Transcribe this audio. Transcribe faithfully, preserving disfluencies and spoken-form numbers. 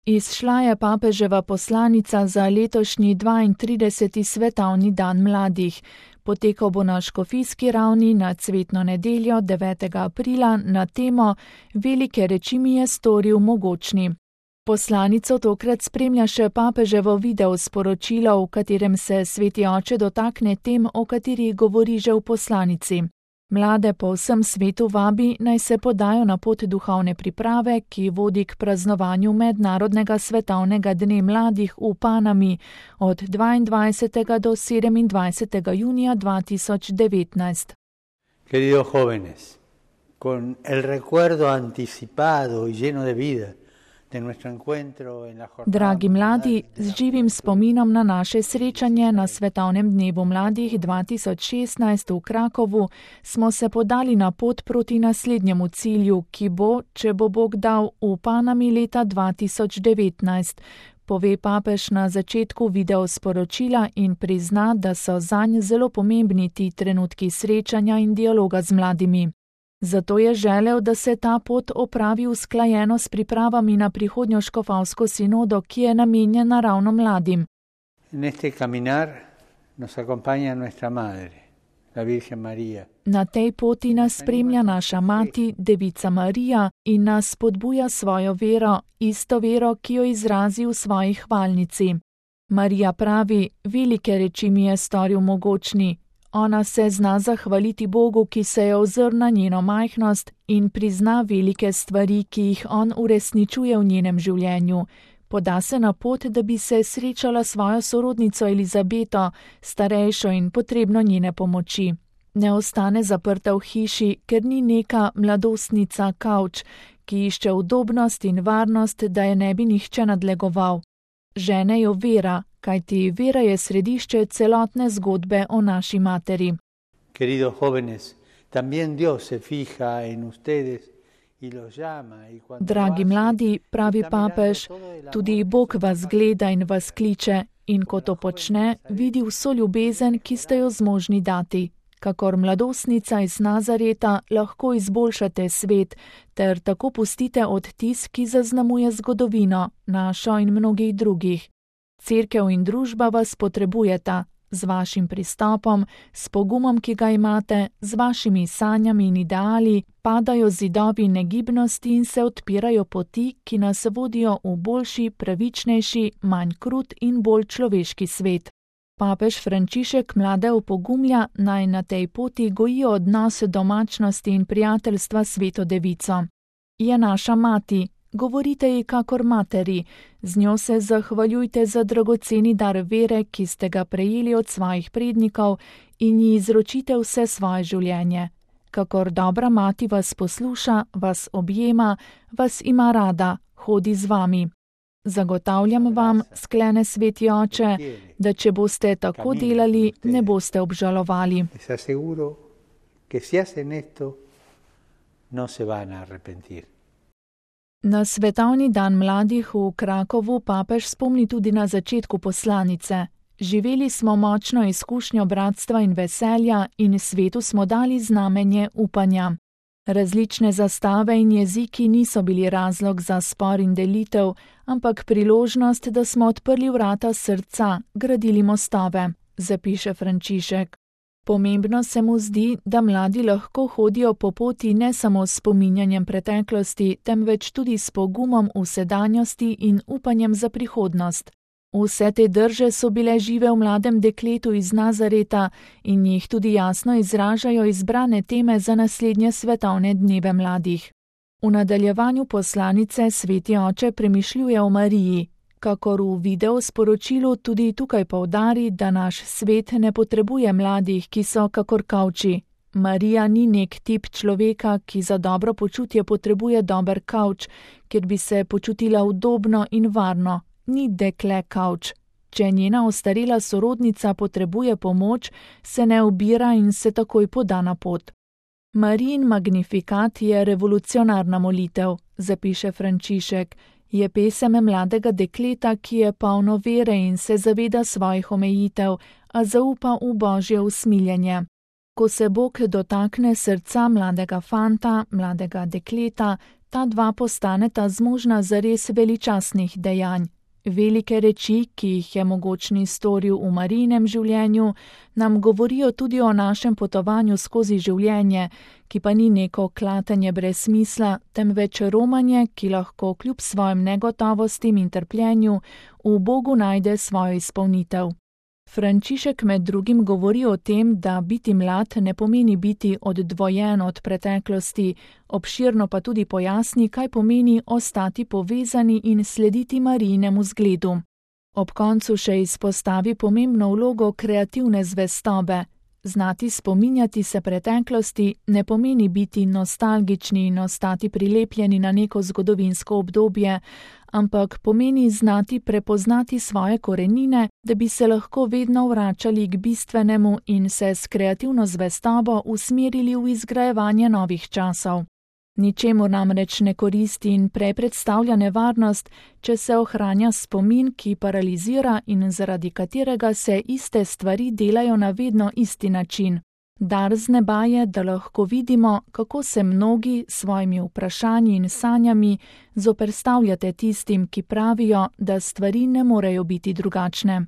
Izšla je papeževa poslanica za letošnji dvaintrideseti svetovni dan mladih. Potekal bo na škofijski ravni na cvetno nedeljo devetega aprila na temo Velike reči mi je storil mogočni. Poslanico tokrat spremlja še papeževo video sporočilo, v katerem se sveti oče dotakne tem, o katerih govori že v poslanici. Mlade po vsem svetu vabi, naj se podajo na pot duhovne priprave, ki vodi k praznovanju mednarodnega svetovnega dne mladih v Panami od dvaindvajsetega do sedemindvajsetega junija dva tisoč devetnajst. Queridos jóvenes, con el recuerdo anticipado y lleno de vida. Dragi mladi, z živim spominom na naše srečanje na Svetovnem dnevu mladih dva tisoč šestnajst v Krakovu smo se podali na pot proti naslednjemu cilju, ki bo, če bo Bog dal, v Panami leta dva tisoč devetnajst, pove papež na začetku video sporočila in prizna, da so zanj zelo pomembni ti trenutki srečanja in dialoga z mladimi. Zato je želel, da se ta pot opravi usklajeno s pripravami na prihodnjo škofovsko sinodo, ki je namenjena ravno mladim. Na tej poti nas spremlja naša mati, Devica Marija, in nas spodbuja svojo vero, isto vero, ki jo izrazi v svoji hvalnici. Marija pravi, velike reči mi je storil mogočni. Ona se zna zahvaliti Bogu, ki se je ozrl na njeno majhnost in prizna velike stvari, ki jih on uresničuje v njenem življenju. Poda se na pot, da bi se srečala svojo sorodnico Elizabeto, starejšo in potrebno njene pomoči. Ne ostane zaprta v hiši, ker ni neka mladostnica kavč, ki išče udobnost in varnost, da je ne bi nihče nadlegoval. Žene jo vera, kajti vera je središče celotne zgodbe o naši materi. Queridos jóvenes, también Dios se fija en ustedes y los llama y cuando Dragi mladi, pravi papež, tudi Bog vas gleda in vas kliče in ko to počne, vidi vso ljubezen, ki ste jo zmožni dati. Kakor mladostnica iz Nazareta lahko izboljšate svet ter tako pustite odtis, ki zaznamuje zgodovino, našo in mnogih drugih. Cerkev in družba vas potrebujeta, z vašim pristopom, s pogumom, ki ga imate, z vašimi sanjami in ideali, padajo zidovi negibnosti in se odpirajo poti, ki nas vodijo v boljši, pravičnejši, manj krut in bolj človeški svet. Papež Frančišek mlade opogumlja, naj na tej poti gojijo odnos domačnosti in prijateljstva s Sveto Devico. Je naša mati, govorite ji kakor materi, z njo se zahvaljujte za dragoceni dar vere, ki ste ga prejeli od svojih prednikov in ji izročite vse svoje življenje. Kakor dobra mati vas posluša, vas objema, vas ima rada, hodi z vami. Zagotavljam vam, sklene sveti oče, da če boste tako delali, ne boste obžalovali. Na svetovni dan mladih v Krakovu papež spomni tudi na začetku poslanice. Živeli smo močno izkušnjo bratstva in veselja in svetu smo dali znamenje upanja. Različne zastave in jeziki niso bili razlog za spor in delitev, ampak priložnost, da smo odprli vrata srca, gradili mostove, zapiše Frančišek. Pomembno se mu zdi, da mladi lahko hodijo po poti ne samo s spominjanjem preteklosti, temveč tudi s pogumom v sedanjosti in upanjem za prihodnost. Vse te drže so bile žive v mladem dekletu iz Nazareta in jih tudi jasno izražajo izbrane teme za naslednje svetovne dneve mladih. V nadaljevanju poslanice sveti oče premišljuje o Mariji, kakor v video sporočilu tudi tukaj poudari, da naš svet ne potrebuje mladih, ki so kakor kavči. Marija ni nek tip človeka, ki za dobro počutje potrebuje dober kavč, kjer bi se počutila udobno in varno. Ni dekle kavč. Če njena ostarela sorodnica potrebuje pomoč, se ne ubira in se takoj poda na pot. Marijin magnifikat je revolucionarna molitev, zapiše Frančišek. Je pesem mladega dekleta, ki je polno vere in se zaveda svojih omejitev, a zaupa v Božje usmiljenje. Ko se Bog dotakne srca mladega fanta, mladega dekleta, ta dva postaneta zmožna zares veličastnih dejanj. Velike reči, ki jih je mogočni storil v Marijinem življenju, nam govorijo tudi o našem potovanju skozi življenje, ki pa ni neko klatenje brez smisla, temveč romanje, ki lahko kljub svojim negotovostim in trpljenju v Bogu najde svojo izpolnitev. Frančišek med drugim govori o tem, da biti mlad ne pomeni biti oddvojen od preteklosti, obširno pa tudi pojasni, kaj pomeni ostati povezani in slediti Marijinemu zgledu. Ob koncu še izpostavi pomembno vlogo kreativne zvestobe. Znati spominjati se preteklosti ne pomeni biti nostalgični in ostati prilepljeni na neko zgodovinsko obdobje, ampak pomeni znati prepoznati svoje korenine, da bi se lahko vedno vračali k bistvenemu in se s kreativno zvestobo usmerili v izgrajevanje novih časov. Ničemur namreč ne koristi in prej predstavlja nevarnost, če se ohranja spomin, ki paralizira in zaradi katerega se iste stvari delajo na vedno isti način. Dar z neba je, da lahko vidimo, kako se mnogi s svojimi vprašanji in sanjami zoperstavljate tistim, ki pravijo, da stvari ne morejo biti drugačne.